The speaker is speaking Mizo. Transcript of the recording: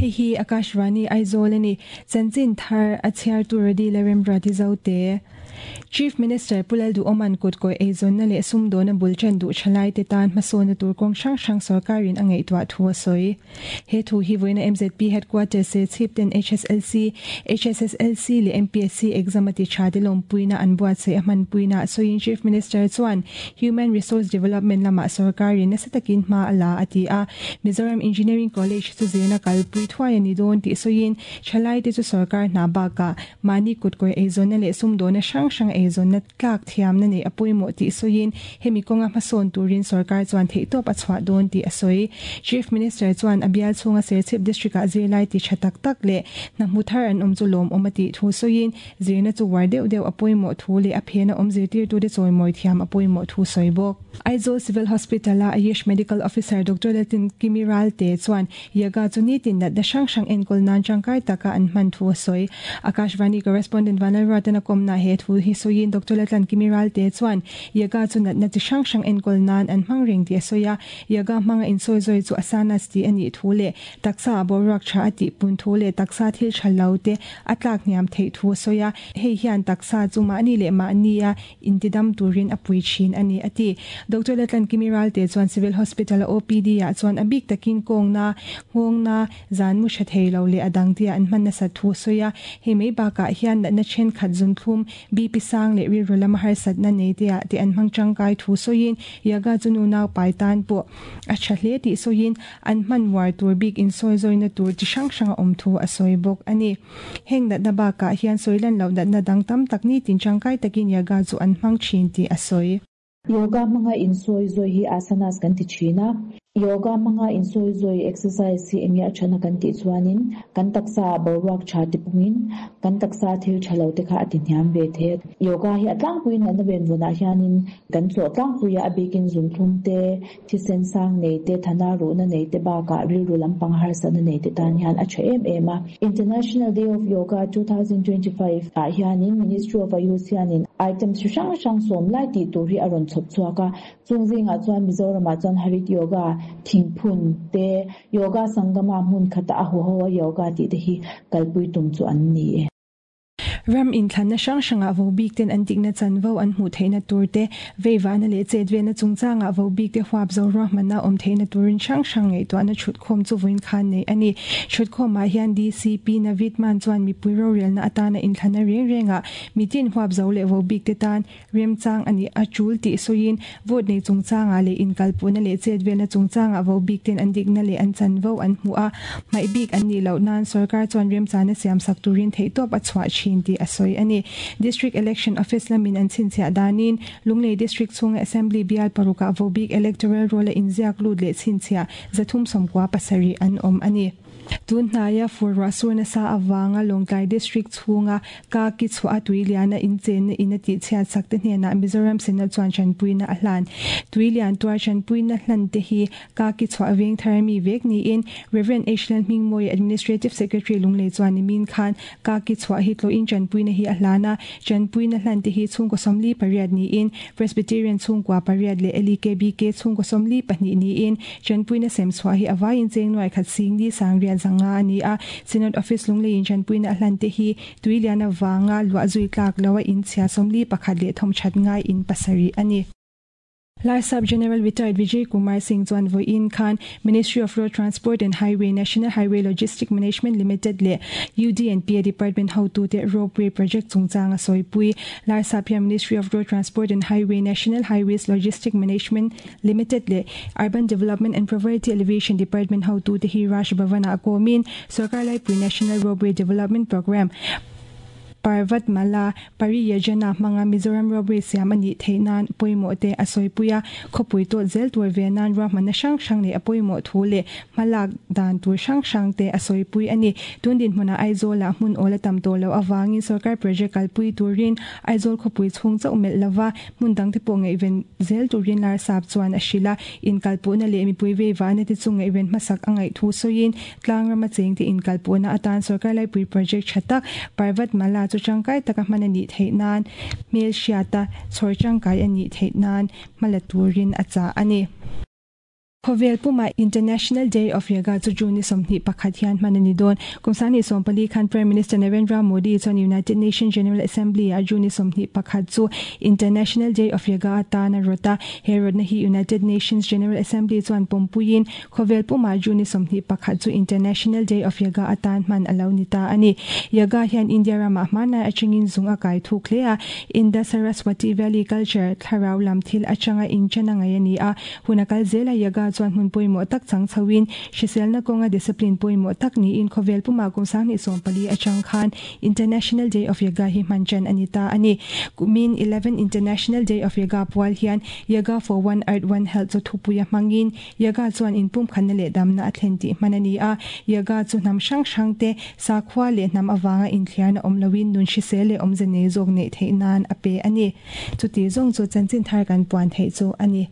Hei hi Akashvani Aizawl a ni. Chanchin thar a chhiartu Rodi Lalremruati Zote. Chief Minister Pu Lalduhawma'n kutkawih eizawnna leh sumdawna bul ṭan duh ṭhalaite tan hmasawnna tur kawng hrang hrang sawrkarin a ngaihtuah thu a sawi. He thu hi vawiina MZP Headquarters Serchhip ten HSLC, HSSLC leh MPSC exam a ti tha te lawmpuina an buatsaih a hmanpuina a sawiin Chief Minister chuan Human Resource Development lamah sawrkarin nasa takin hma a la a ti a. Mizoram Engineering College chu zirna kalpui thuai a ni dawn tih sawiin thalaite chu sawrkar hna bakah mahni kutkawih eizawnna leh sumdawna hrang hrang eizawnna tlak thiamna neih a pawimawh tih sawiin hemi kawnga hmasawn turin sawrkar chuan theihtawp a chhuah dawn tih a sawi. Chief Minister chuan a bial chhunga Serchhip District-ah zirlai ti tha tak tak leh hna hmu thar an awm chu lawmawm a tih thu sawiin zirna chu uar deuh deuh a pawimawh thu leh a phena awm zirtirtute chawimawi thiam a pawimawh thu sawi bawk. Aizawl Civil Hospital-a Ayush Medical Officer Doctor Laltin Kimi Ralte chuan Yoga chu nitin natna hrang hrang enkawl nan tangkai taka an hman thu a sawi. Akashvani Correspondent Vanlalruatan a kawmna he thu hi sawiin Doctor Latlan Kimi Ralte chuan Yoga chu natna chi hrang hrang enkawl nan an hmang reng tih a sawi a, Yoga hmanga insawizawi chu asanas tih a nih thu leh taksa a boruak tha a tih pun thu leh taksa thil tha lo te a tlak hniam theih thu a sawi a, hei hian taksa chu mahni leh mahnia Intidam turin a pui thin a ni, a ti. Doctor Latlankimi Ralte chuan Civil Hospital-a OPD-ah chuan a bik takin kawngna, nghawngna, zan mu tha thei lo leh a dang tia an hman nasat thu a sawi a. Hei mai bakah hian natna thenkhat zunthlum, BP sang leh rilru lama harsatna nei tea te an hmang tangkai thu sawiin Yoga chu nu naupai tan pawh a tha hle tih sawiin an hman uar tur bik insawizawina tur chi hrang hrang a awm thu a sawi bawk a ni. Heng natna bakah hian sawi lan loh natna dang tam tak nitin tangkai takin yoga chu an hmang thin tih a sawi. Yoga hmanga insawi zawi hi asanas kan ti thin a. Yoga hmanga insawi zawi exercise hi enge a thana kan tih chuanin kan taksa ah boruak tha ti pungin kan taksa thil tha lo te kha a ti hniam ve thei a. Yoga hi a tlangpuiin natna venvawnah hianin kan tlawh tlangpui a, a bikin zunthlum te, Thisen sang nei te, thana ruhna nei te bakah rilru lampang harsatna nei te tan hian a tha em em a. International Day of Yoga 2025 ah hianin Ministry of Ayush hianin items chi hrang hrang sawm lai tih tur hi a rawn chhawp chhuak a. Chung zingah chuan Mizoramah chuan Harit Yoga, Thingphun te, Yoga Sangama hmun khata a huho a yoga tih te hi kalpui tum chu an ni e. Ram inthlanna hrang hrangah vo bik ten an dikna chanvo an hmuh theihna tur te, veivahna leh chetvelna chungchangah vo bik te huap zo ruahmanna awm theihna turin hrang hrang ngaihtuahna chhutkhawm chu vawiin khan neih a ni. Chhutkhawmah hian DCP Navid Mann chuan mipui rorelna atana inthlanna reng rengah mitin huap zo leh vo bik te tan Remchang a nih a tul tih sawiin vote nei chungchangah leh inkalpuhna leh chetvelna chungchangah vo bik ten an dikna leh an chanvo an hmuh a, hmaih bik an nih loh nan sorkar chuan remchana siamsak turin theihtawp a chhuah thin tih a sawi a ni. District Election Office lamin an chhinchhiah danin Lunglei District chhunga Assembly bial parukah vo bik electoral roll a inziak lut leh chhinchhiah 397 an awm a ni. Tun hnaia fur ruah sur nasa avanga Lawngtlai District chhunga ka ki chhuah a tui liana inchenna in a tihchhiat sak te hnenah Mizoram Synod chuan tanpuina a hlan. Tui lian tuar tanpuina hlan te hi ka ki chhuah veng thar ami vek niin Rev. H. Lalhmingmawia Administrative Secretary Lunglei chuan nimin khan ka ki chhuah hi tlawhin tanpuina hi a hlan a, tanpuina hlan te hi chhungkaw 48 niin Presbyterian chhungkua pariat leh LEKBK chhungkaw 42 niin Tanpuina sem chhuah hi a vaiin cheng nuai khat sing ni sang riat zanga a ni a, Synod Office Lungleiin tanpuina a hlan te hi Tuilian avanga luah zui tlak lo a inchhia 41 leh thawmthat ngai in pasarih a ni. Larsap General Retired Vijay Kumar Singh chuan vawiin khan Ministry of Road Transport and Highway, National Highway Logistic Management Limited leh UDNPA Department hotute Ropeway Project chungchang a sawipui. Larsap hian Ministry of Road Transport and Highway, National Highways Logistic Management Limited leh Urban Development and Poverty Alleviation Department hotute hi Raj Bhavan-ah kawmin Sorkar Laipui National Ropeway Development Programme, Parvatmala Pariyojana hmanga Mizoram Ropeway siam a nih theih nan pawimawh te a sawipui a, khawpui tawt zel tur ve nan ruahmanna hrang hrang leh a pawimawh thu leh hmalak dan tur hrang hrang te a sawipui a ni. Tun dinhmunah Aizawlah hmun awl a tam tawh loh avangin sorkar project kalpui turin Aizawl khawpui chhung chauh melh lova Hmun dangte pawh ngaihven zel turin Larsap chuan a hrilh a, inkalpuhna leh mipui veivahna te chu ngaihven hmasak a ngaih thu sawiin tlangrama chengte inkalpuhna atan sorkar laipui project tha tak Parvatmala chu tangkai taka hman a nih theih nan hmelhriata chhawr tangkai a nih theih nan hma la turin a chah a ni. Khawvel pumah International Day of Yoga chu June ni 21 hian hman a ni dawn. Kum 2014 khan Prime Minister Narendra Modi chuan United Nations General Assembly ah June ni 21 chu International Day of Yoga atan a rawt a. He rawtna hi United Nations General Assembly chuan pawmpuiin khawvel pumah June ni 21 chu International Day of Yoga atan hman a lo ni ta a ni. Yoga hian India ramah hmanlai atangin zung a kai thuk hle a. Indus Saraswati Valley culture thlarau lam thil atanga inchen a ngaih a ni a. Hun a kal zel a, yoga chuan hmun pawimawh tak chang chhoin, hriselna kawnga discipline pawimawh tak niin khawvel pumah kum 2014 atang khan International Day of Yoga hi hman ṭan a ni ta a ni. Kumin 11 International Day of Yoga pual hian Yoga for One Earth One Health chu thupuia hmangin yoga chuan inpumkhatna leh damna a thlen tih hman a ni a. Yoga chu hnam hrang hrangte sakhua leh hnam avanga inthliarna awm loin nun hrisel leh awmze nei zawk neih theih nan a pe a ni. Chuti zawng chu chanchin thar kan puan theih chu a ni.